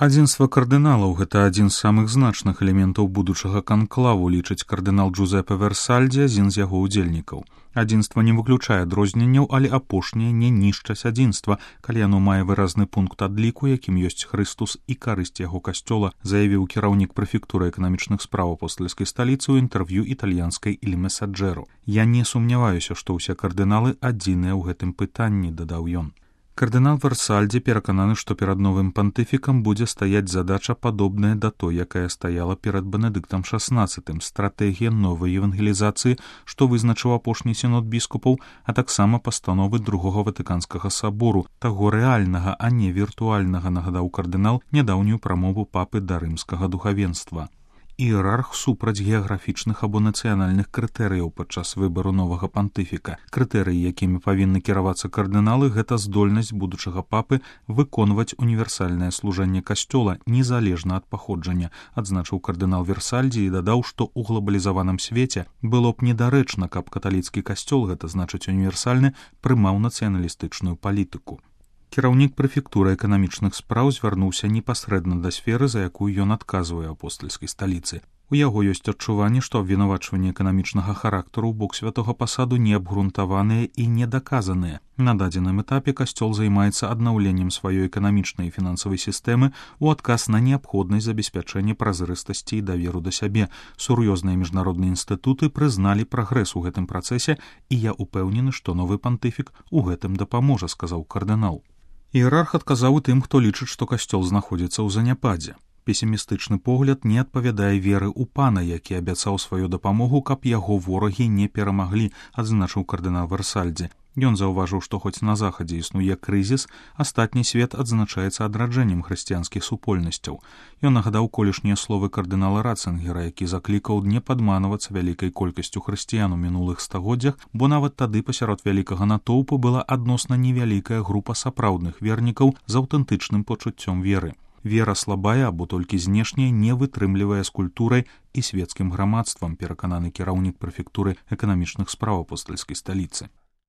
Адзінства кардыналаў – гэта адзін з самых значных элементаў будучага канклаву, лічыць кардынал Джузепе Версальдзе, адзін з яго ўдзельнікаў. Адзінства не выключае адрозненняў, але апошняе не нішчаць адзінства, калі яно мае выразны пункт адліку, якім ёсць Хрыстус і карысць яго касцёла, заявіў кіраўнік прэфектуры эканамічных спраў апостальскай сталіцы ў інтэрв'ю італьянскай «Il Messaggero». «Я не сумняваюся, што ўсе кардыналы адзіныя ў гэтым пытанні», дадаў ён. Кардынал Версальдзе перакананы, што перад новым пантыфікам будзе стаяць задача падобная да той, якая стаяла перад Бенедыктам XVI, стратэгія новай евангелізацыі, што вызначыў апошні сінод біскупаў, а таксама пастановы Другога Ватыканскага сабору, таго рэальнага, а не віртуальнага, нагадаў кардынал нядаўнюю прамову папы да рымскага духавенства. Іерарх супраць геаграфічных або нацыянальных крытэрыяў падчас выбару новага пантыфіка. Крытэрыі, якімі павінны кіравацца кардыналы, гэта здольнасць будучага папы выконваць універсальнае служэнне касцёла незалежна ад паходжання, адзначыў кардынал Версальдзе і дадаў, што ў глобалізаваным свеце было б недарэчна, каб каталіцкі касцёл, гэта значыць універсальны, прымаў нацыяналістычную палітыку. Кіраўнік прэфектуры эканамічных спраў звярнуўся непасрэдна да сферы, за якую ён адказвае апостальскай сталіцы. У яго ёсць адчуванне, што абвінавачванні эканамічнага характару ў бок святога пасаду неабгрунтаваныя і недаказаныя. На дадзеным этапе касцёл займаецца аднаўленнем сваёй эканамічнай і фінансавай сістэмы ў адказ на неабходнасць забеспячэння празрыстасці і даверу да сябе. Сур'ёзныя міжнародныя інстытуты прызналі прагрэс у гэтым працэсе, і я ўпэўнены, што новы пантыфік у гэтым дапаможа, сказаў кардынал. Іерарх адказаў і тым, хто лічыць, што касцёл знаходзіцца ў заняпадзе. Песімістычны погляд не адпавядае веры ў пана, які абяцаў сваю дапамогу, каб яго ворагі не перамаглі, адзначыў кардынал Версальдзе. Ён заўважыў, што хоць на захадзе існуе крызіс, астатні свет адзначаецца адраджэннем хрысціянскіх супольнасцяў. Ён нагадаў колішнія словы кардынала Ратцынгера, які заклікаў не падманвацца вялікай колькасцю хрысціян у мінулых стагоддзях, бо нават тады пасярод вялікага натоўпу была адносна невялікая група сапраўдных вернікаў з аўтэнтычным пачуццём веры. Вера слабая або толькі знешняя не вытрымлівае з культурай і свецкім грамадствам, перакананы кіраўнік прэфектуры эканамічных спраў апостальскай сталіцы.